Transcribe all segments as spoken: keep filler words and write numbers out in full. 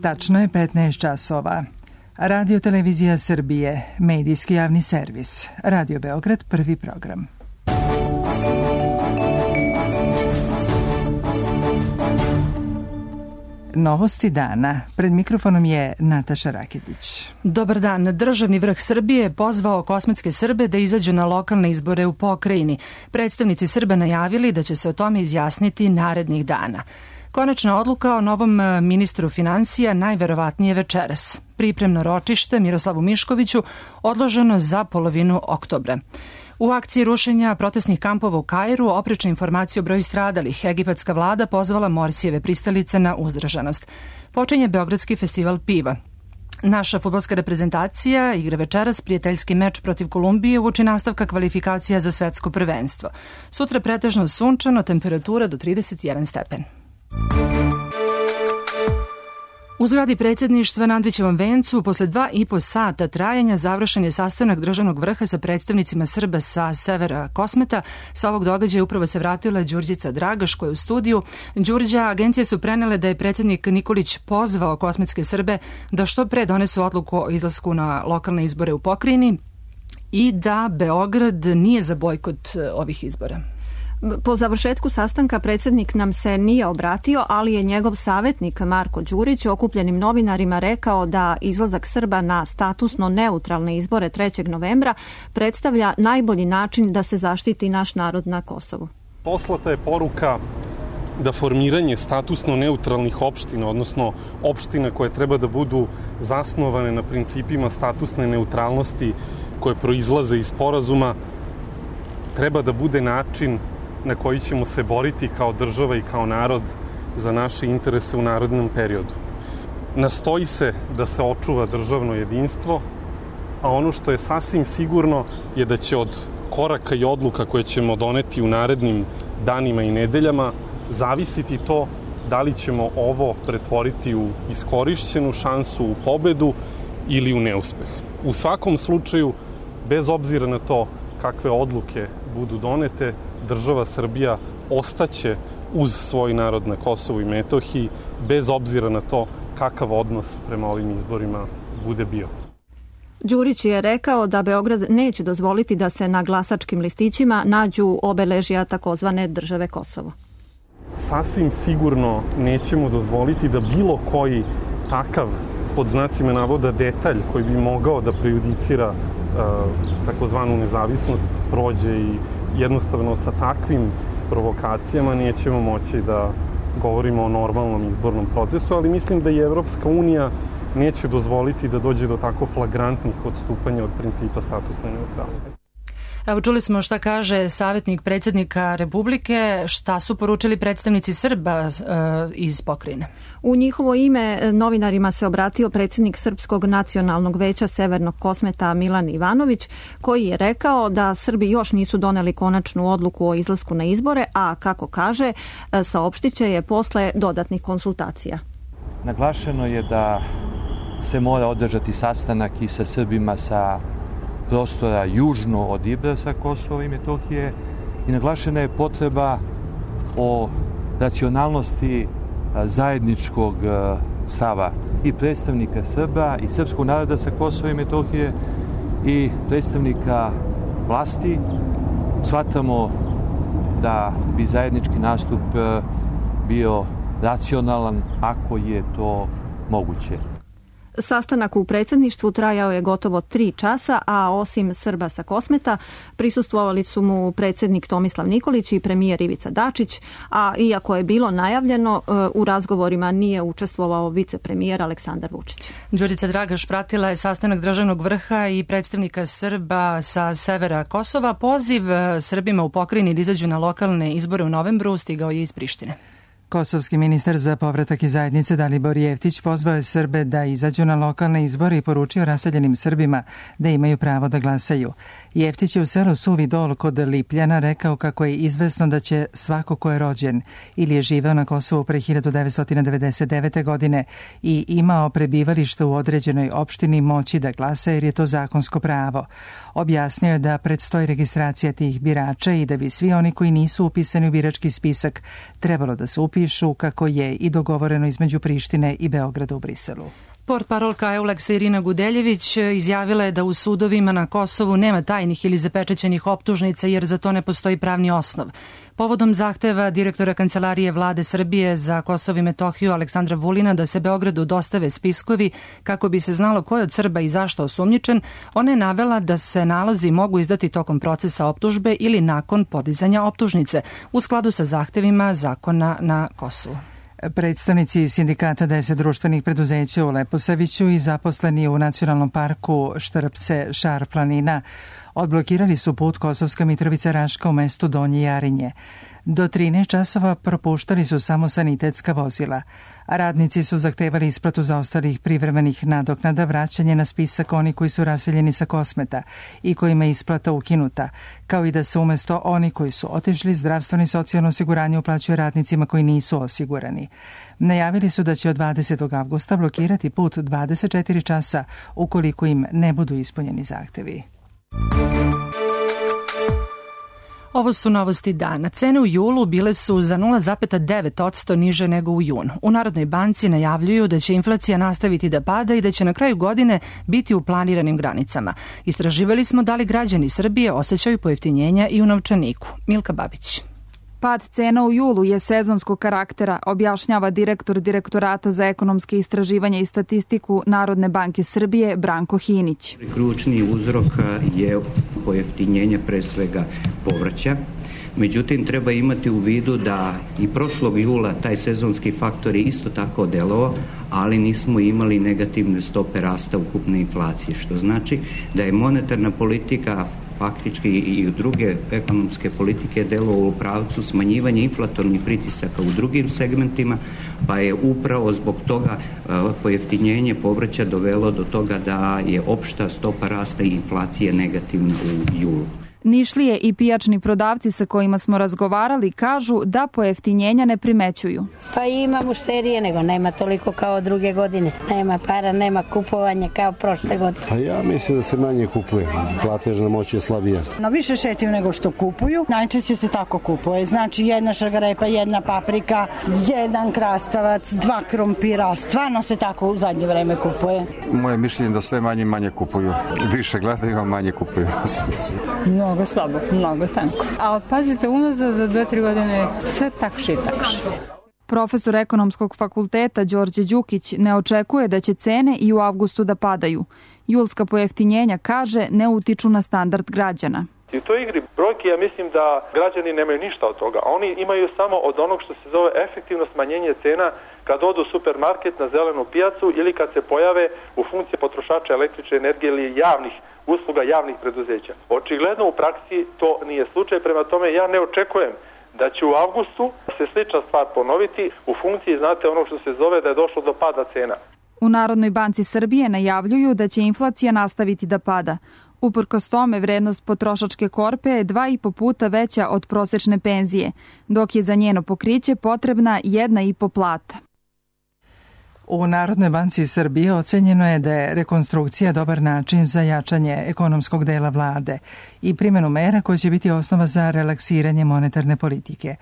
Tačno je petnaest časova. Radio Televizija Srbije, medijski javni servis. Radio Beograd, prvi program. Novosti dana. Pred mikrofonom je Nataša Raketić. Dobar dan. Državni vrh Srbije je pozvao kosmetske Srbe da izađu na lokalne izbore u pokrajini. Predstavnici Srba najavili da će se o tome izjasniti narednih dana. Konačna odluka o novom ministru finansija najverovatnije večeras. Pripremno ročište Miroslavu Miškoviću odloženo za polovinu oktobra. U akciji rušenja protestnih kampova u Kairu oprečne informacije o broju stradalih. Egipatska vlada pozvala Morsijeve pristalice na uzdržanost. Počinje Beogradski festival piva. Naša fudbalska reprezentacija igra večeras prijateljski meč protiv Kolumbije uoči nastavka kvalifikacija za svetsko prvenstvo. Sutra pretežno sunčano, temperatura do trideset jedan stepen. U zgradi predsjedništva na Andrićevom vencu posle dva i po sata trajanja završen je sastanak državnog vrha sa predstavnicima Srba sa severa Kosmeta. Sa ovog događaja upravo se vratila Đurđica Dragaš koja je u studiju. Đurđa, agencije su prenele da je predsjednik Nikolić pozvao kosmetske Srbe da što pre donesu odluku o izlasku na lokalne izbore u pokrajini i da Beograd nije za bojkot ovih izbora. Po završetku sastanka predsjednik nam se nije obratio, ali je njegov savjetnik Marko Đurić okupljenim novinarima rekao da izlazak Srba na statusno neutralne izbore trećeg novembra predstavlja najbolji način da se zaštiti naš narod na Kosovu. Poslata je poruka da formiranje statusno neutralnih opština, odnosno opština koje treba da budu zasnovane na principima statusne neutralnosti koje proizlaze iz sporazuma, treba da bude način na koji ćemo se boriti kao država i kao narod za naše interese u narednom periodu. Nastoji se da se očuva državno jedinstvo, a ono što je sasvim sigurno je da će od koraka i odluka koje ćemo doneti u narednim danima i nedeljama zavisiti to da li ćemo ovo pretvoriti u iskorišćenu šansu, u pobedu ili u neuspeh. U svakom slučaju, bez obzira na to kakve odluke budu donete, država Srbija ostaće uz svoj narod na Kosovu i Metohiji, bez obzira na to kakav odnos prema ovim izborima bude bio. Đurić je rekao da Beograd neće dozvoliti da se na glasačkim listićima nađu obeležja takozvane države Kosovo. Sasvim sigurno nećemo dozvoliti da bilo koji takav, pod znacima navoda, detalj koji bi mogao da prejudicira uh, takozvanu nezavisnost prođe i jednostavno sa takvim provokacijama nećemo moći da govorimo o normalnom izbornom procesu, ali mislim da i Evropska unija neće dozvoliti da dođe do tako flagrantnih odstupanja od principa statusne neutralnosti. Evo, čuli smo šta kaže savjetnik predsjednika Republike, šta su poručili predstavnici Srba uh, iz pokrajine. U njihovo ime novinarima se obratio predsjednik Srpskog nacionalnog veća Severnog Kosmeta Milan Ivanović, koji je rekao da Srbi još nisu doneli konačnu odluku o izlasku na izbore, a kako kaže, saopštit će je posle dodatnih konsultacija. Naglašeno je da se mora održati sastanak i sa Srbima sa prostora južno od Ibra sa Kosova i Metohije i naglašena je potreba o racionalnosti zajedničkog stava i predstavnika Srba i srpskog naroda sa Kosova i Metohije i predstavnika vlasti. Shvatamo da bi zajednički nastup bio racionalan ako je to moguće. Sastanak u predsjedništvu trajao je gotovo tri časa, a osim Srba sa Kosmeta prisustvovali su mu predsjednik Tomislav Nikolić i premijer Ivica Dačić, a iako je bilo najavljeno, u razgovorima nije učestvovao vicepremijer Aleksandar Vučić. Đurđica Dragaš pratila je sastanak državnog vrha i predstavnika Srba sa severa Kosova. Poziv Srbima u pokrajini da izađu na lokalne izbore u novembru stigao je iz Prištine. Kosovski ministar za povratak i zajednice Dalibor Jeftić pozvao je Srbe da izađu na lokalne izbore i poručio raseljenim Srbima da imaju pravo da glasaju. Jeftić je u selu Suvi Dol kod Lipljana rekao kako je izvesno da će svako ko je rođen ili je živeo na Kosovu pre hiljadu devetsto devedeset devete. godine i imao prebivalište u određenoj opštini moći da glasa jer je to zakonsko pravo. Objasnio je da predstoji registracija tih birača i da bi svi oni koji nisu upisani u birački spisak trebalo da se upisuju pišu kako je i dogovoreno između Prištine i Beograda u Briselu. Portparolka Euleksa Irina Gudeljević izjavila je da u sudovima na Kosovu nema tajnih ili zapečaćenih optužnica jer za to ne postoji pravni osnov. Povodom zahteva direktora Kancelarije Vlade Srbije za Kosovo i Metohiju Aleksandra Vulina da se Beogradu dostave spiskovi kako bi se znalo ko je od Srba i zašto osumnjičen, ona je navela da se nalozi mogu izdati tokom procesa optužbe ili nakon podizanja optužnice u skladu sa zahtevima zakona na Kosovu. Predstavnici sindikata deset društvenih preduzeća u Leposaviću i zaposleni u Nacionalnom parku Štrpce Šar planina odblokirali su put Kosovska Mitrovica Raška u mestu Donje Jarinje. Do trinaest časova propuštali su samo sanitetska vozila. Radnici su zahtevali isplatu zaostalih privremenih nadoknada, vraćanje na spisak oni koji su raseljeni sa Kosmeta i kojima je isplata ukinuta, kao i da se umesto oni koji su otišli zdravstveno i socijalno osiguranje uplaćuje radnicima koji nisu osigurani. Najavili su da će od dvadesetog avgusta blokirati put dvadeset četiri časa ukoliko im ne budu ispunjeni zahtevi. Ovo su novosti dana. Cene u julu bile su za nula zarez devet posto niže nego u junu. U Narodnoj banci najavljuju da će inflacija nastaviti da pada i da će na kraju godine biti u planiranim granicama. Istraživali smo da li građani Srbije osjećaju pojeftinjenja i u novčaniku. Milka Babić. Pad cena u julu je sezonskog karaktera, objašnjava direktor Direktorata za ekonomske istraživanja i statistiku Narodne banke Srbije Branko Hinić. Ključni uzrok je pojeftinjenje pre svega povrća. Međutim, treba imati u vidu da i prošlog jula taj sezonski faktor je isto tako delovao, ali nismo imali negativne stope rasta ukupne inflacije, što znači da je monetarna politika faktički i druge ekonomske politike delovalo u pravcu smanjivanja inflatornih pritisaka u drugim segmentima, pa je upravo zbog toga pojeftinjenje povrća dovelo do toga da je opšta stopa rasta i inflacije negativna u julu. Nišlije i pijačni prodavci sa kojima smo razgovarali kažu da pojeftinjenja ne primećuju. Pa ima mušterije, nego nema toliko kao druge godine. Nema para, nema kupovanja kao prošle godine. Pa ja mislim da se manje kupuje. Platežna moć je slabija. No više šetaju nego što kupuju. Najčešće se tako kupuje. Znači jedna šargarepa, jedna paprika, jedan krastavac, dva krompira. Stvarno se tako u zadnje vreme kupuje. Moje mišljenje da sve manje i manje kupuju. Više gledaju, a manje kupuju. No. Mnogo slabo, mnogo tanko. A pazite, unazad za dve, tri godine sve takše i takše. Profesor ekonomskog fakulteta Đorđe Đukić ne očekuje da će cene i u avgustu da padaju. Julska pojeftinjenja, kaže, ne utiču na standard građana. I u toj igri brojke, ja mislim da građani nemaju ništa od toga. Oni imaju samo od onog što se zove efektivno smanjenje cena kad odu u supermarket, na zelenu pijacu ili kad se pojave u funkciji potrošača električne energije ili javnih usluga javnih preduzeća. Očigledno u praksi to nije slučaj, prema tome ja ne očekujem da će u avgustu se slična stvar ponoviti u funkciji, znate, ono što se zove da je došlo do pada cena. U Narodnoj banci Srbije najavljuju da će inflacija nastaviti da pada. Uprkos tome, vrednost potrošačke korpe je dva i po puta veća od prosečne penzije, dok je za njeno pokriće potrebna jedna i po plata. U Narodnoj banci Srbije ocenjeno je da je rekonstrukcija dobar način za jačanje ekonomskog dela vlade i primjenu mera koje će biti osnova za relaksiranje monetarne politike.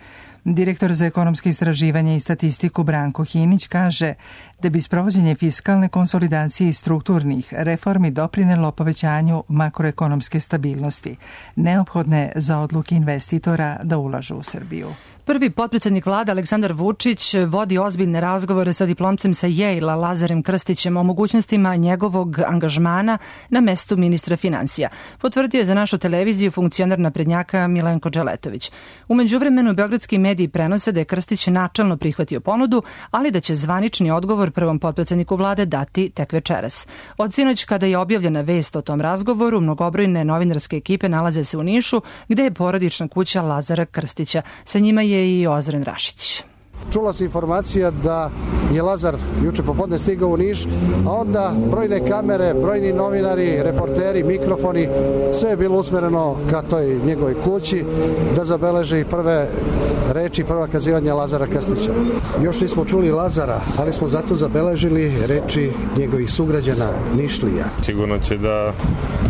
Direktor za ekonomske istraživanje i statistiku Branko Hinić kaže da bi sprovođenje fiskalne konsolidacije i strukturnih reformi doprinelo povećanju makroekonomske stabilnosti, neophodne za odluke investitora da ulažu u Srbiju. Prvi potpredsjednik vlade Aleksandar Vučić vodi ozbiljne razgovore sa diplomcem sa Yale-a Lazarem Krstićem o mogućnostima njegovog angažmana na mestu ministra financija. Potvrdio je za našu televiziju funkcioner naprednjaka Milenko Đeletović. U međuvremenu beogradski mediji prenose da je Krstić načelno prihvatio ponudu, ali da će zvanični odgovor prvom potpredsjedniku vlade dati tek večeras. Od sinoć kada je objavljena vest o tom razgovoru, mnogobrojne novinarske ekipe nalaze se u Nišu, gde je porodična kuća Lazara Krstića. Sa njima je i Ozren Rašić. Čula se informacija da je Lazar juče popodne stigao u Niš, a onda brojne kamere, brojni novinari, reporteri, mikrofoni, sve je bilo usmereno ka toj njegovoj kući da zabeleži prve reči, prva kazivanja Lazara Krstića. Još nismo čuli Lazara, ali smo zato zabeležili reči njegovih sugrađana Nišlija. Sigurno će da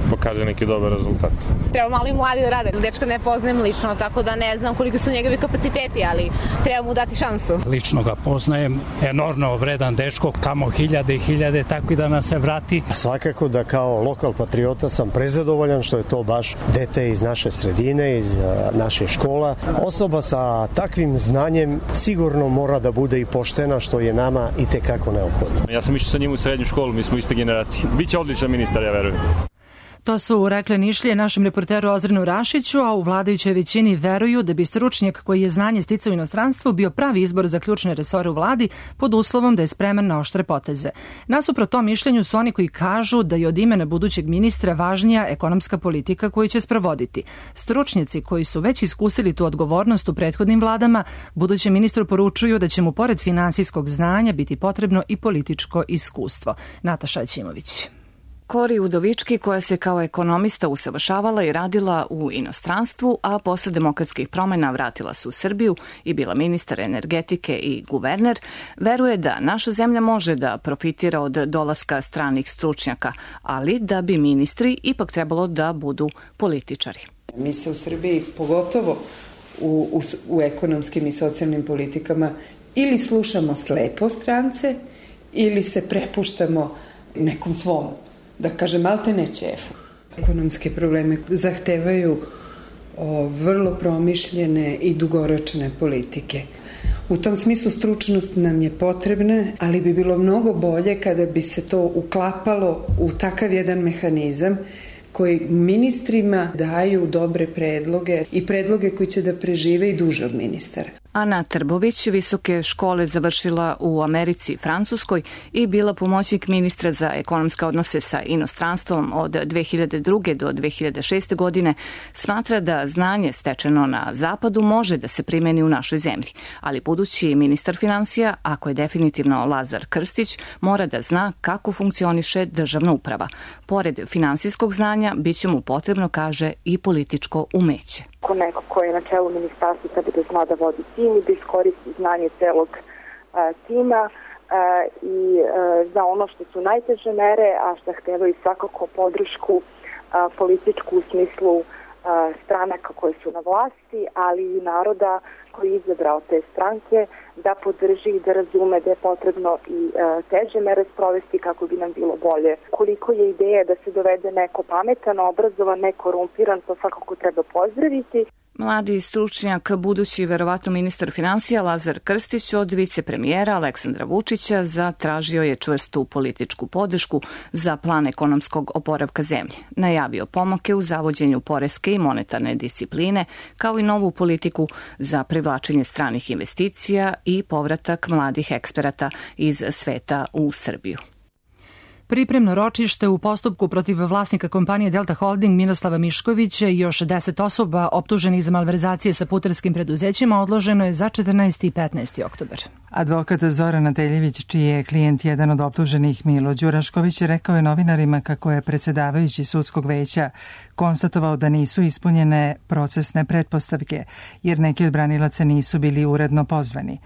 pokaže neki dobar rezultat. Treba malo i mladi da rade. Dečka ne poznajem lično, tako da ne znam koliko su njegovi kapaciteti, ali treba mu dati šansu. Lično ga poznajem, enormno vredan dečko, kamo hiljade i hiljade, tako i da nas se vrati. Svakako da kao lokal patriota sam prezadovoljan što je to baš dete iz naše sredine, iz naše škola. Osoba sa takvim znanjem sigurno mora da bude i poštena, što je nama i tekako neophodno. Ja sam išao sa njim u srednju školu, mi smo iste generacije. Biće odličan ministar, ja verujem. To su rekle Nišlije našem reporteru Ozrenu Rašiću, a u vladajućoj većini veruju da bi stručnjak koji je znanje sticao u inostranstvu bio pravi izbor za ključne resore u vladi pod uslovom da je spreman na oštre poteze. Nasuprot tom mišljenju su oni koji kažu da je od imena budućeg ministra važnija ekonomska politika koju će sprovoditi. Stručnjaci koji su već iskusili tu odgovornost u prethodnim vladama, budućem ministru poručuju da će mu pored finansijskog znanja biti potrebno i političko iskustvo. Nataša Ćimović. Kori Udovički, koja se kao ekonomista usavršavala i radila u inostranstvu, a posle demokratskih promjena vratila se u Srbiju i bila ministar energetike i guverner, veruje da naša zemlja može da profitira od dolaska stranih stručnjaka, ali da bi ministri ipak trebalo da budu političari. Mi se u Srbiji, pogotovo u, u, u ekonomskim i socijalnim politikama, ili slušamo slepo strance, ili se prepuštamo nekom svom, da kažem, malte ne ćefu. Ekonomske probleme zahtevaju o, vrlo promišljene i dugoročne politike. U tom smislu stručnost nam je potrebna, ali bi bilo mnogo bolje kada bi se to uklapalo u takav jedan mehanizam koji ministrima daju dobre predloge i predloge koji će da prežive i duže od ministara. Ana Trbović visoke škole završila u Americi i Francuskoj i bila pomoćnik ministra za ekonomske odnose sa inostranstvom od dve hiljade druge do dve hiljade šeste. godine, smatra da znanje stečeno na zapadu može da se primeni u našoj zemlji, ali budući ministar finansija, ako je definitivno Lazar Krstić, mora da zna kako funkcioniše državna uprava. Pored finansijskog znanja, bit će mu potrebno, kaže, i političko umeće. Ko neko ko je na čelu ministarstva treba da zna da vodi tim i da iskoristi znanje celog a, tima a, i a, za ono što su najteže mere, a što zahtevaju svakako podršku a, političku u smislu a, stranaka koje su na vlasti, ali i naroda koji je izabrao te stranke, da podrži i da razume da je potrebno i a, teže mere sprovesti kako bi nam bilo bolje. Koliko je ideja da se dovede neko pametan, obrazovan, nekorumpiran, to svakako treba pozdraviti. Mladi stručnjak, budući verovatno ministar finansija Lazar Krstić od vicepremijera Aleksandra Vučića zatražio je čvrstu političku podršku za plan ekonomskog oporavka zemlje. Najavio pomake u zavođenju poreske i monetarne discipline, kao i novu politiku za privlačenje stranih investicija i povratak mladih eksperata iz sveta u Srbiju. Pripremno ročište u postupku protiv vlasnika kompanije Delta Holding Miroslava Miškovića i još deset osoba optuženih za malverzacije sa putarskim preduzećima odloženo je za četrnaesti i petnaesti oktobar. Advokat Zoran Teljević, čiji je klijent jedan od optuženih, Milo Đurašković, rekao je novinarima kako je predsjedavajući sudskog veća konstatovao da nisu ispunjene procesne pretpostavke, jer neki od branilaca nisu bili uredno pozvani.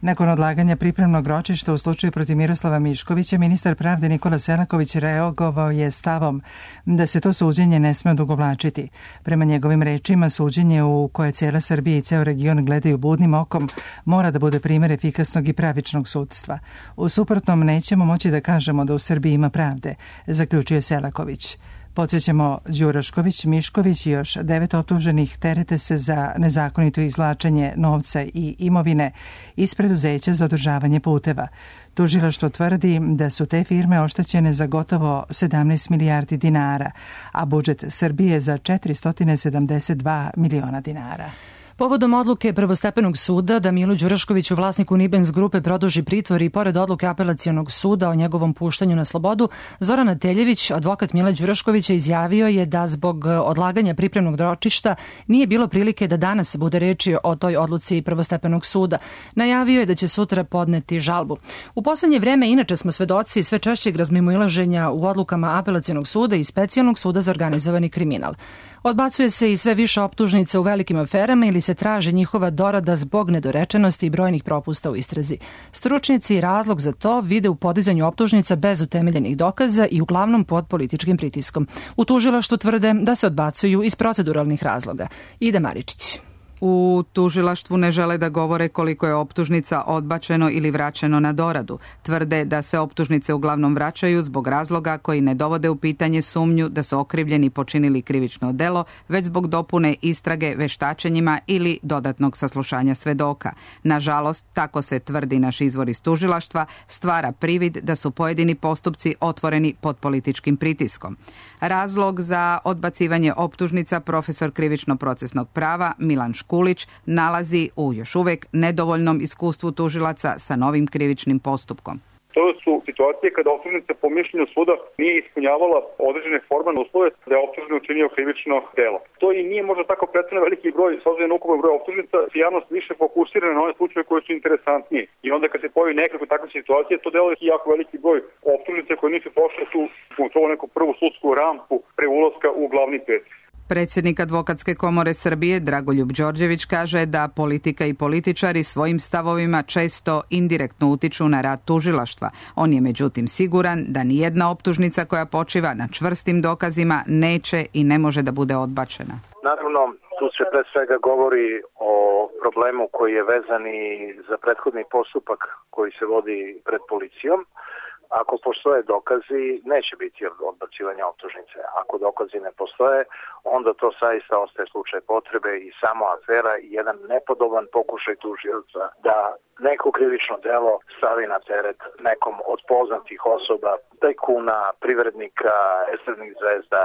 Nakon odlaganja pripremnog ročišta u slučaju protiv Miroslava Miškovića, ministar pravde Nikola Selaković reagovao je stavom da se to suđenje ne sme odugovlačiti. Prema njegovim rečima, suđenje u koje cijela Srbija i ceo region gledaju budnim okom mora da bude primjer efikasnog i pravičnog sudstva. U suprotnom nećemo moći da kažemo da u Srbiji ima pravde, zaključio Selaković. Podsjećamo, Đurašković, Mišković i još devet optuženih terete se za nezakonito izvlačenje novca i imovine iz preduzeća za održavanje puteva. Tužilaštvo tvrdi da su te firme oštećene za gotovo sedamnaest milijardi dinara, a budžet Srbije za četiristo sedamdeset dva miliona dinara. Povodom odluke prvostepenog suda da Milu Đuraškoviću, vlasniku Nibens grupe, produži pritvor i pored odluke apelacionog suda o njegovom puštanju na slobodu, Zoran Ateljević, advokat Mila Đuraškovića, izjavio je da zbog odlaganja pripremnog ročišta nije bilo prilike da danas bude reči o toj odluci prvostepenog suda. Najavio je da će sutra podneti žalbu. U poslednje vreme inače smo svedoci sve češćeg razmimoilaženja u odlukama apelacionog suda i specijalnog suda za organizovani kriminal. Odbacuje se i sve više optužnica u velikim aferama ili se traže njihova dorada zbog nedorečenosti i brojnih propusta u istrazi. Stručnjaci razlog za to vide u podizanju optužnica bez utemeljenih dokaza i uglavnom pod političkim pritiskom. U tužilaštvu tvrde da se odbacuju iz proceduralnih razloga. Ida Maričić. U tužilaštvu ne žele da govore koliko je optužnica odbačeno ili vraćeno na doradu. Tvrde da se optužnice uglavnom vraćaju zbog razloga koji ne dovode u pitanje sumnju da su okrivljeni počinili krivično delo, već zbog dopune istrage veštačenjima ili dodatnog saslušanja svedoka. Nažalost, tako se tvrdi naš izvor iz tužilaštva, stvara privid da su pojedini postupci otvoreni pod političkim pritiskom. Razlog za odbacivanje optužnica profesor krivično-procesnog prava Milan Škulić nalazi u još uvek nedovoljnom iskustvu tužilaca sa novim krivičnim postupkom. To su situacije kada optužnica po mišljenju suda nije ispunjavala određene formalne uslove da je optužen učinio krivično delo. To i nije možda tako predstavljeno veliki broj, s obzirom na ukupan broj optužnica, javnost više fokusira na one slučaje koji su interesantniji. I onda kad se pojavi nekako takve situacije, to delo je jako veliki broj optužnica koje nisu prošle tu u neku prvu sudsku rampu pre ulaska u glavni pet. Predsjednik Advokatske komore Srbije Dragoljub Đorđević kaže da politika i političari svojim stavovima često indirektno utiču na rad tužilaštva. On je međutim siguran da nijedna optužnica koja počiva na čvrstim dokazima neće i ne može da bude odbačena. Naravno, tu se pre svega govori o problemu koji je vezan i za prethodni postupak koji se vodi pred policijom. Ako postoje dokazi, neće biti odbacivanja optužnice. Ako dokazi ne postoje, onda to saista ostaje slučaj potrebe i samo afera i jedan nepodoban pokušaj tužioca da neko krivično delo stavi na teret nekom od poznatih osoba, tajkuna, privrednika, estradnih zvezda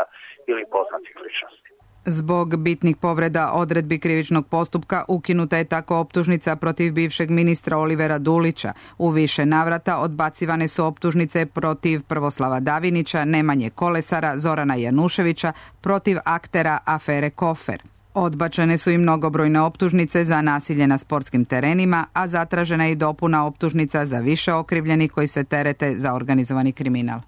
ili poznatih ličnosti. Zbog bitnih povreda odredbi krivičnog postupka ukinuta je tako optužnica protiv bivšeg ministra Olivera Dulića. U više navrata odbacivane su optužnice protiv Prvoslava Davinića, Nemanje Kolesara, Zorana Januševića, protiv aktera afere Kofer. Odbačene su i mnogobrojne optužnice za nasilje na sportskim terenima, a zatražena je i dopuna optužnica za više okrivljenih koji se terete za organizovani kriminal.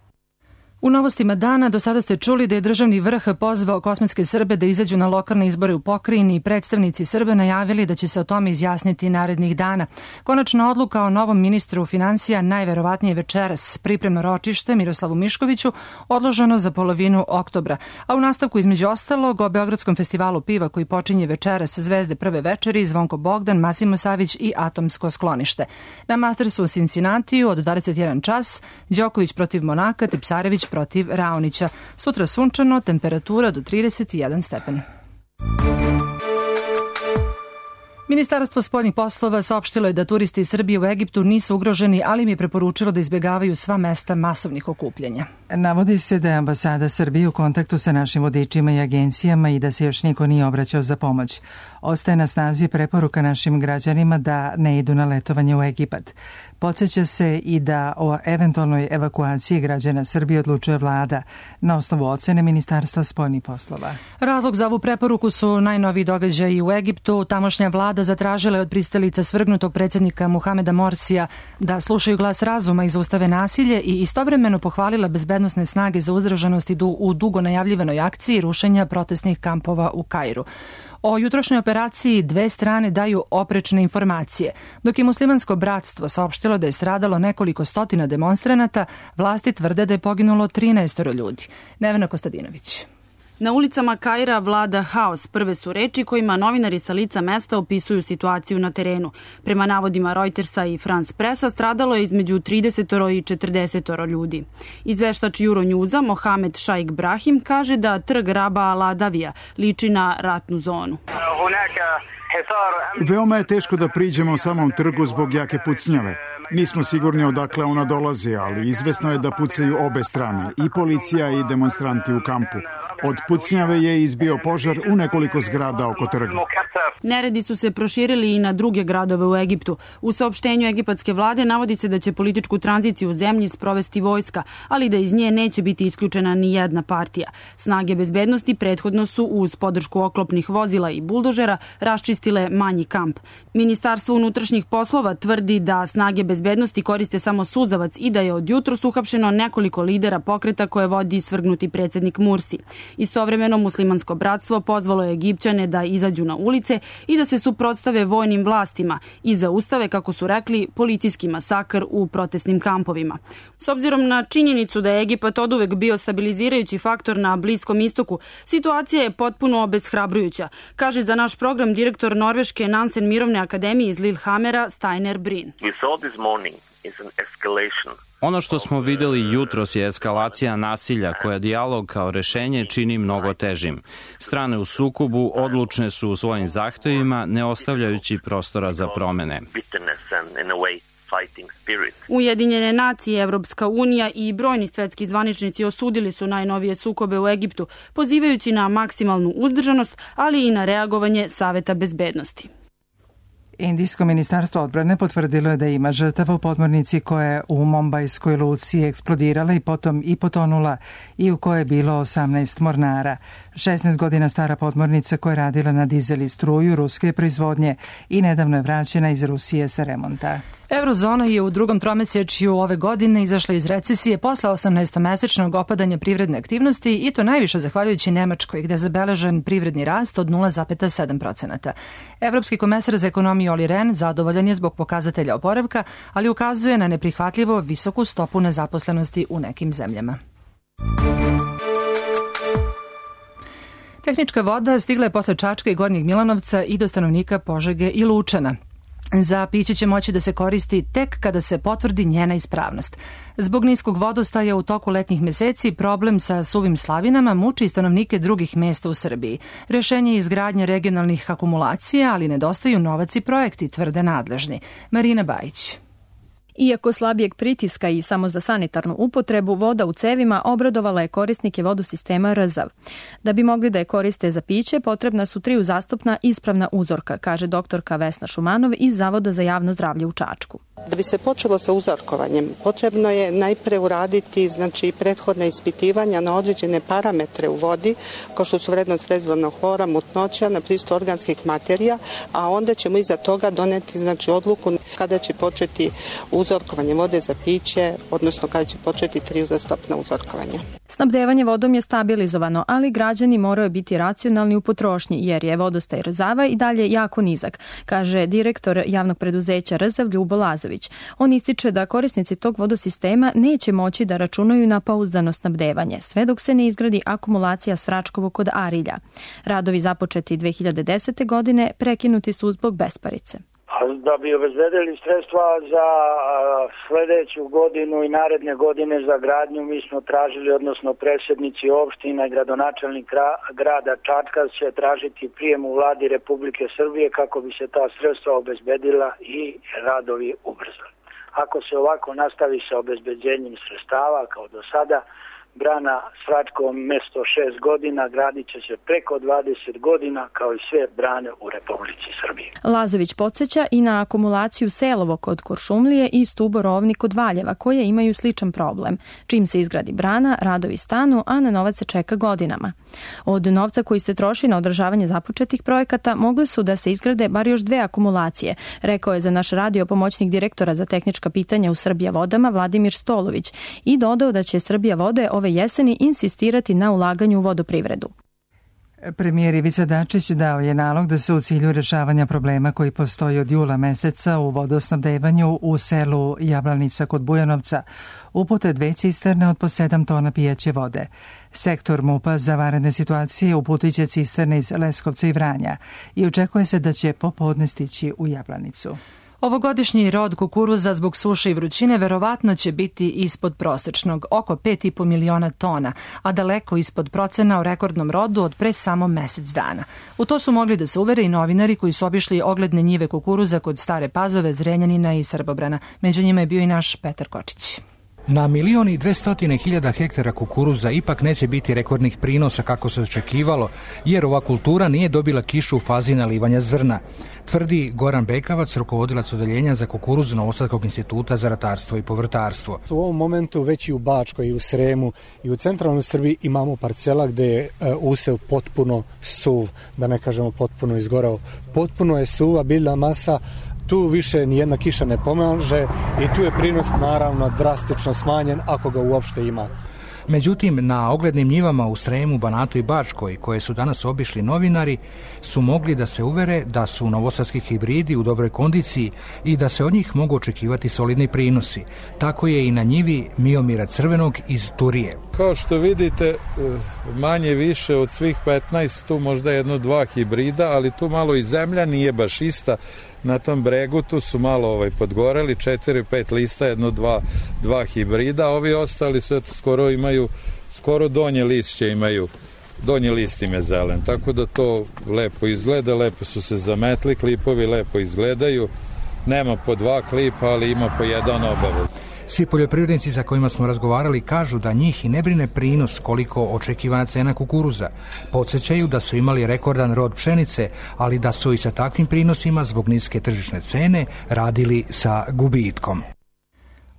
U novostima dana do sada ste čuli da je državni vrh pozvao kosmetske Srbe da izađu na lokalne izbore u pokrajini i predstavnici Srba najavili da će se o tome izjasniti narednih dana. Konačna odluka o novom ministru finansija najverovatnije večeras. Pripremno ročište Miroslavu Miškoviću odloženo za polovinu oktobra. A u nastavku između ostalog o Beogradskom festivalu piva koji počinje večeras Zvezde prve večeri, Zvonko Bogdan, Masimo Savić i Atomsko sklonište. Na Mastersu u Cincinnatiju od dvadeset jedan čas Đoković protiv Monaka, Tipsarević protiv Raonića. Sutra sunčano, temperatura do trideset jedan stepen. Ministarstvo spoljnih poslova saopštilo je da turisti iz Srbije u Egiptu nisu ugroženi, ali im je preporučilo da izbjegavaju sva mesta masovnih okupljanja. Navodi se da je ambasada Srbije u kontaktu sa našim vodičima i agencijama i da se još niko nije obraćao za pomoć. Ostaje na snazi preporuka našim građanima da ne idu na letovanje u Egipat. Podsjeća se i da o eventualnoj evakuaciji građana Srbije odlučuje vlada na osnovu ocene Ministarstva spoljnih poslova. Razlog za ovu preporuku su najnoviji događaji u Egiptu. Tamošnja vlada zatražila je od pristalica svrgnutog predsjednika Muhameda Morsija da slušaju glas razuma i zaustave nasilje i istovremeno pohvalila bezbednosne snage za uzdržanost u dugo najavljivanoj akciji rušenja protestnih kampova u Kairu. O jutrošnjoj operaciji dve strane daju oprečne informacije. Dok je muslimansko bratstvo saopštilo da je stradalo nekoliko stotina demonstranata, vlasti tvrde da je poginulo trinaest ljudi. Nevena Kostadinović. Na ulicama Kaira vlada haos. Prve su reči kojima novinari sa lica mesta opisuju situaciju na terenu. Prema navodima Reutersa i France Pressa stradalo je između trideset i četrdeset ljudi. Izveštač Euronewsa Mohamed Šaik Brahim kaže da trg Raba Al Adavija liči na ratnu zonu. Veoma je teško da priđemo samom trgu zbog jake pucnjave. Nismo sigurni odakle ona dolazi, ali izvesno je da pucaju obe strane, i policija i demonstranti u kampu. Od pucnjave je izbio požar u nekoliko zgrada oko trga. Neredi su se proširili i na druge gradove u Egiptu. U saopštenju egipatske vlade navodi se da će političku tranziciju u zemlji sprovesti vojska, ali da iz nje neće biti isključena ni jedna partija. Snage bezbednosti prethodno su uz podršku oklopnih vozila i buldožera raščistile manji kamp. Ministarstvo unutrašnjih poslova tvrdi da snage bezbednosti koriste samo suzavac i da je od jutros uhapšeno nekoliko lidera pokreta koje vodi svrgnuti predsjednik Mursi. Istovremeno muslimansko bratstvo pozvalo je Egipćane da izađu na ulice i da se suprotstave vojnim vlastima i zaustave, kako su rekli, policijski masakr u protestnim kampovima. S obzirom na činjenicu da je Egipat oduvek bio stabilizirajući faktor na Bliskom istoku, situacija je potpuno obeshrabrujuća, kaže za naš program direktor Norveške Nansen mirovne akademije iz Lillehammera Steiner Brin. Ono što smo videli jutros je eskalacija nasilja koja dijalog kao rešenje čini mnogo težim. Strane u sukobu odlučne su u svojim zahtevima, ne ostavljajući prostora za promene. Ujedinjene nacije, Evropska unija i brojni svetski zvaničnici osudili su najnovije sukobe u Egiptu, pozivajući na maksimalnu uzdržanost, ali i na reagovanje Saveta bezbednosti. Indijsko ministarstvo odbrane potvrdilo je da ima žrtava u podmornici koja je u Mumbajskoj luci eksplodirala i potom i potonula i u kojoj je bilo osamnaest mornara. šesnaest godina stara podmornica koja je radila na dizel i struju ruske proizvodnje i nedavno je vraćena iz Rusije sa remonta. Eurozona je u drugom tromesečju ove godine izašla iz recesije posle osamnaestomesečnog opadanja privredne aktivnosti i to najviše zahvaljujući Nemačkoj, gde je zabeležen privredni rast od nula zarez sedam posto. Evropski komesar za ekonomiju Olli Rehn zadovoljan je zbog pokazatelja oporavka, ali ukazuje na neprihvatljivo visoku stopu nezaposlenosti u nekim zemljama. Tehnička voda stigla je posle Čačka i Gornjeg Milanovca i do stanovnika Požege i Lučana. Za piće će moći da se koristi tek kada se potvrdi njena ispravnost. Zbog niskog vodostaja u toku letnjih meseci problem sa suvim slavinama muči stanovnike drugih mesta u Srbiji. Rešenje je izgradnja regionalnih akumulacija, ali nedostaju novac i projekti, tvrde nadležni. Marina Bajić. Iako slabijeg pritiska i samo za sanitarnu upotrebu, voda u cevima obradovala je korisnike vodosistema Rzav. Da bi mogli da je koriste za piće, potrebna su tri uzastopna ispravna uzorka, kaže doktorka Vesna Šumanov iz Zavoda za javno zdravlje u Čačku. Da bi se počelo sa uzorkovanjem, potrebno je najpre uraditi znači, prethodne ispitivanja na određene parametre u vodi, kao što su vrednost rezervnog hlora, mutnoća, na prisustvo organskih materija, a onda ćemo iza toga doneti znači, odluku kada će početi uzorkovanje vode za piće, odnosno kada će početi tri uzastopna uzorkovanja. Snabdevanje vodom je stabilizovano, ali građani moraju biti racionalni u potrošnji, jer je vodostaj Rzava i dalje jako nizak, kaže direktor javnog preduzeća Rzav Ljubo Lazović. On ističe da korisnici tog vodosistema neće moći da računaju na pouzdano snabdevanje, sve dok se ne izgradi akumulacija Svračkovo kod Arilja. Radovi započeti dve hiljade desete. godine prekinuti su zbog besparice. Da bi obezbedili sredstva za sledeću godinu i naredne godine za gradnju, mi smo tražili, odnosno predsjednici opština i gradonačelnik grada Čačka će tražiti prijem u vladi Republike Srbije kako bi se ta sredstva obezbedila i radovi ubrzali. Ako se ovako nastavi sa obezbeđenjem sredstava kao do sada, brana Svračkovo mesto šest godina gradit će se preko dvadeset godina kao i sve brane u Republici Srbiji. Lazović podsjeća i na akumulaciju Selovo kod Kuršumlije i Stubo Rovni kod Valjeva koje imaju sličan problem. Čim se izgradi brana, radovi stanu, a na novac se čeka godinama. Od novca koji se troši na održavanje započetih projekata mogle su da se izgrade bar još dve akumulacije, rekao je za naš radio pomoćnik direktora za tehnička pitanja u Srbija vodama Vladimir Stolović i dodao da će Srbija vode ove jeseni insistirati na ulaganju u vodoprivredu. Premijer Ivica Dačić dao je nalog da se u cilju rešavanja problema koji postoji od jula meseca u vodosnabdevanju u selu Jablanica kod Bujanovca upute dve cisterne od po sedam tona pijeće vode. Sektor MUP-a za vanredne situacije uputit će cisterne iz Leskovca i Vranja i očekuje se da će popodne stići u Jablanicu. Ovogodišnji rod kukuruza zbog suše i vrućine verovatno će biti ispod prosečnog, oko pet i po miliona tona, a daleko ispod procena o rekordnom rodu od pre samo mesec dana. U to su mogli da se uvere i novinari koji su obišli ogledne njive kukuruza kod Stare Pazove, Zrenjanina i Srbobrana. Među njima je bio i naš Petar Kočić. Na milion i dvestotine hiljada hektara kukuruza ipak neće biti rekordnih prinosa kako se očekivalo, jer ova kultura nije dobila kišu u fazi nalivanja zrna, tvrdi Goran Bekavac, rukovodilac odeljenja za kukuruz Novosadskog instituta za ratarstvo i povrtarstvo. U ovom momentu već i u Bačkoj, i u Sremu, i u centralnoj Srbiji imamo parcela gde je usev potpuno suv, da ne kažemo potpuno izgorao. Potpuno je suva biljna masa, tu više nijedna kiša ne pomaže i tu je prinos naravno drastično smanjen ako ga uopšte ima. Međutim, na oglednim njivama u Sremu, Banatu i Bačkoj, koje su danas obišli novinari, su mogli da se uvere da su novosadski hibridi u dobroj kondiciji i da se od njih mogu očekivati solidni prinosi. Tako je i na njivi Miomira Crvenog iz Turije. Kao što vidite, manje više od svih petnaest, tu možda jedno dva hibrida, ali tu malo i zemlja nije baš ista. Na tom bregu tu su malo ovaj, podgoreli, četiri, pet lista, jedno, dva, dva hibrida, ovi ostali su eto, skoro imaju, skoro donje lišće imaju, donji list im je zelen, tako da to lepo izgleda, lepo su se zametli, klipovi lepo izgledaju, nema po dva klipa, ali ima po jedan obavezno. Svi poljoprivrednici sa kojima smo razgovarali kažu da njih i ne brine prinos koliko očekivana cena kukuruza. Podsjećaju da su imali rekordan rod pšenice, ali da su i sa takvim prinosima zbog niske tržišne cene radili sa gubitkom.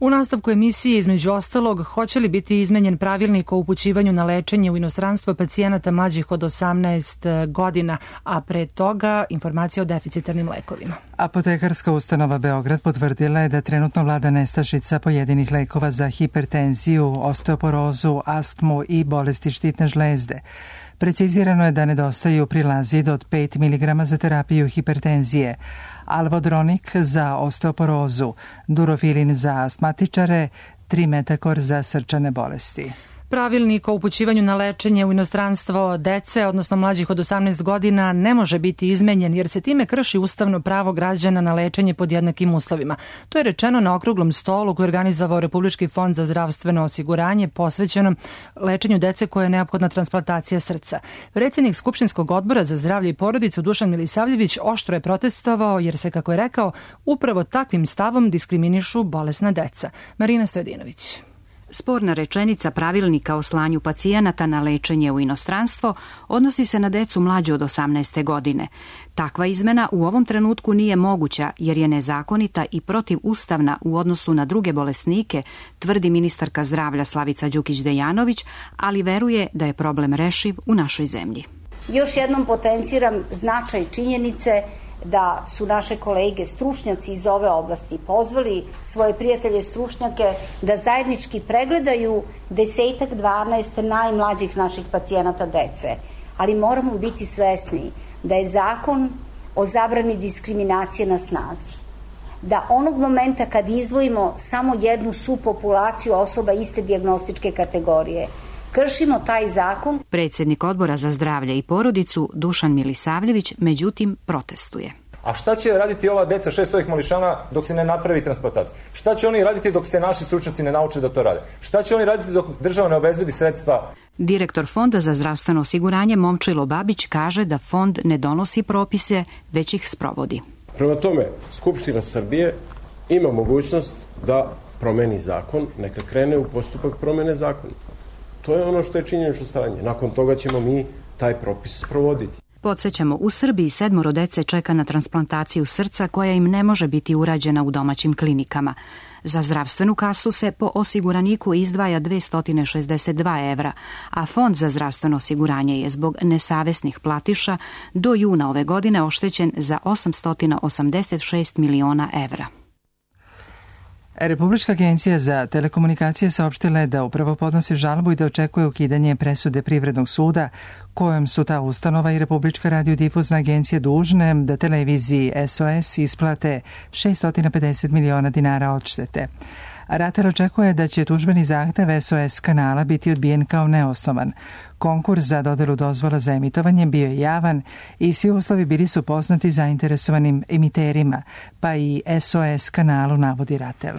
U nastavku emisije, između ostalog, hoće li biti izmenjen pravilnik o upućivanju na lečenje u inostranstvo pacijenata mlađih od osamnaest godina, a pre toga informacija o deficitarnim lekovima. Apotekarska ustanova Beograd potvrdila je da trenutno vlada nestašica pojedinih lekova za hipertenziju, osteoporozu, astmu i bolesti štitne žlezde. Precizirano je da nedostaju prilazid od pet miligrama za terapiju hipertenzije, alvodronik za osteoporozu, durofilin za astmatičare, trimetakor za srčane bolesti. Pravilnik o upućivanju na lečenje u inostranstvo dece, odnosno mlađih od osamnaest godina, ne može biti izmenjen jer se time krši ustavno pravo građana na lečenje pod jednakim uslovima. To je rečeno na okruglom stolu koji je organizovao Republički fond za zdravstveno osiguranje posvećenom lečenju dece koje je neophodna transplantacija srca. Predsjednik Skupštinskog odbora za zdravlje i porodicu Dušan Milisavljević oštro je protestovao jer se, kako je rekao, upravo takvim stavom diskriminišu bolesna deca. Marina Stojadinović. Sporna rečenica pravilnika o slanju pacijenata na lečenje u inostranstvo odnosi se na decu mlađe od osamnaeste godine. Takva izmena u ovom trenutku nije moguća jer je nezakonita i protivustavna u odnosu na druge bolesnike, tvrdi ministarka zdravlja Slavica Đukić-Dejanović, ali veruje da je problem rešiv u našoj zemlji. Još jednom potenciram značaj činjenice da su naše kolege stručnjaci iz ove oblasti pozvali svoje prijatelje stručnjake da zajednički pregledaju desetak, dvanaest najmlađih naših pacijenata dece. Ali moramo biti svesni da je zakon o zabrani diskriminacije na snazi. Da onog momenta kad izdvojimo samo jednu subpopulaciju osoba iste dijagnostičke kategorije, kršimo taj zakon. Predsjednik Odbora za zdravlje i porodicu Dušan Milisavljević međutim protestuje. A šta će raditi ova deca šest ovih mališana dok se ne napravi transplantacija? Šta će oni raditi dok se naši stručnjaci ne nauče da to rade? Šta će oni raditi dok država ne obezbedi sredstva? Direktor Fonda za zdravstveno osiguranje Momčilo Babić kaže da fond ne donosi propise, već ih sprovodi. Prema tome, Skupština Srbije ima mogućnost da promeni zakon, neka krene u postupak promene zakona. To je ono što je činjenično stanje. Nakon toga ćemo mi taj propis sprovoditi. Podsjećamo, u Srbiji sedmoro dece čeka na transplantaciju srca koja im ne može biti urađena u domaćim klinikama. Za zdravstvenu kasu se po osiguraniku izdvaja dvesta šezdeset dva evra, a Fond za zdravstveno osiguranje je zbog nesavesnih platiša do juna ove godine oštećen za osamsto osamdeset šest miliona evra. Republička agencija za telekomunikacije saopštila je da upravo podnosi žalbu i da očekuje ukidanje presude Privrednog suda kojom su ta ustanova i Republička radiodifuzna agencija dužne da televiziji S O S isplate šessto pedeset miliona dinara odštete. Ratar očekuje da će tužbeni zahtev S O S kanala biti odbijen kao neosnovan. Konkurs za dodelu dozvola za emitovanje bio je javan i svi uslovi bili su poznati zainteresovanim emiterima, pa i S O S kanalu, navodi Ratel.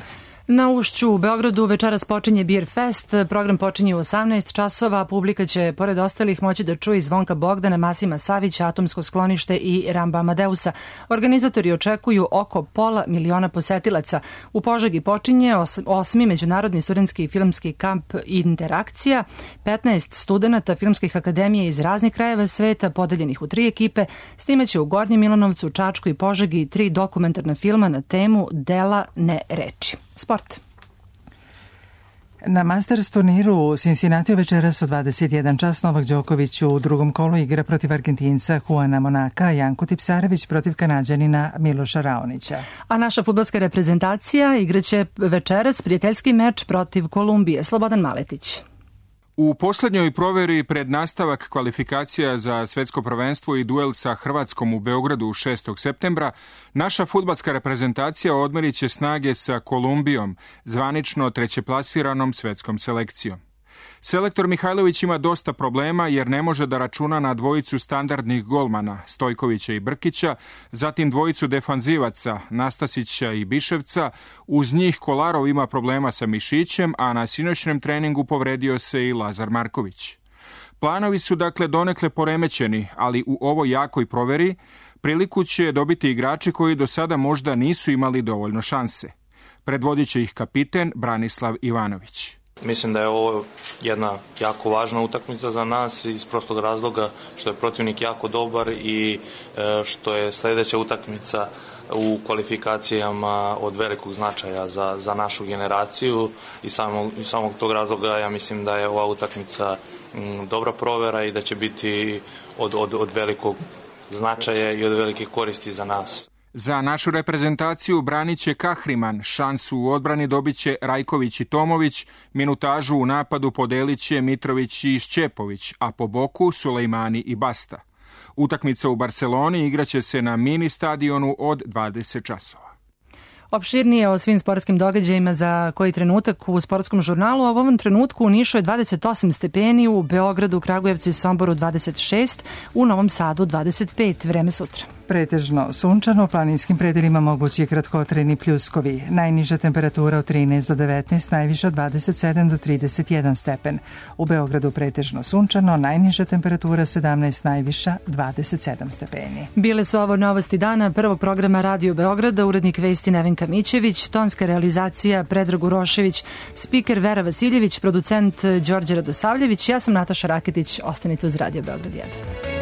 Na Ušću u Beogradu večeras počinje Beer Fest. Program počinje u osamnaest časova. Publika će, pored ostalih, moći da čuje Zvonka Bogdana, Masima Savića, Atomsko sklonište i Ramba Amadeusa. Organizatori očekuju oko pola miliona posetilaca. U Požegi počinje os, osmi međunarodni studentski filmski kamp Interakcija. petnaest studenta filmskih akademija iz raznih krajeva sveta, podeljenih u tri ekipe, snimaće u Gornjem Milanovcu, Čačku i Požegi tri dokumentarna filma na temu Dela, ne reči. Sport. Na Masters turniru u Cincinnatiju večeras u dvadeset jedan čas Novak Đoković u drugom kolu igra protiv Argentinca Juana Monaka, Janko Tipsarević protiv Kanađanina Miloša Raonića. A naša fudbalska reprezentacija igraće večeras prijateljski meč protiv Kolumbije. Slobodan Maletić. U posljednjoj proveri pred nastavak kvalifikacija za svetsko prvenstvo i duel sa Hrvatskom u Beogradu šestog septembra, naša fudbalska reprezentacija odmerit će snage sa Kolumbijom, zvanično trećeplasiranom svetskom selekcijom. Selektor Mihajlović ima dosta problema jer ne može da računa na dvojicu standardnih golmana, Stojkovića i Brkića, zatim dvojicu defanzivaca, Nastasića i Biševca, uz njih Kolarov ima problema sa mišićem, a na sinoćnem treningu povredio se i Lazar Marković. Planovi su dakle donekle poremećeni, ali u ovoj jakoj proveri priliku će dobiti igrači koji do sada možda nisu imali dovoljno šanse. Predvodit će ih kapiten Branislav Ivanović. Mislim da je ovo jedna jako važna utakmica za nas iz prostog razloga što je protivnik jako dobar i što je sljedeća utakmica u kvalifikacijama od velikog značaja za, za našu generaciju i samog, i samog tog razloga ja mislim da je ova utakmica m, dobra provera i da će biti od, od, od velikog značaja i od velike koristi za nas. Za našu reprezentaciju branit će Kahriman, šansu u odbrani dobit će Rajković i Tomović, minutažu u napadu podelit će Mitrović i Šćepović, a po boku Sulejmani i Basta. Utakmica u Barceloni igraće se na mini stadionu od dvadeset časova. Opširnije o svim sportskim događajima za koji trenutak u sportskom žurnalu, a u ovom trenutku u Nišu je dvadeset osam stepeni, u Beogradu, Kragujevcu i Somboru dvadeset šest, u Novom Sadu dvadeset pet, vreme sutra. Pretežno sunčano, u planinskim predelima mogući kratkotrajni pljuskovi. Najniža temperatura od trinaest do devetnaest, najviša od dvadeset sedam do trideset jedan stepen. U Beogradu pretežno sunčano, najniža temperatura sedamnaest, najviša dvadeset sedam stepeni. Bile su ovo novosti dana prvog programa Radio Beograda, urednik vesti Nevenka Mićević, tonska realizacija Predrag Urošević, spiker Vera Vasiljević, producent Đorđe Radosavljević, ja sam Nataša Raketić, ostanite uz Radio Beograd jedan.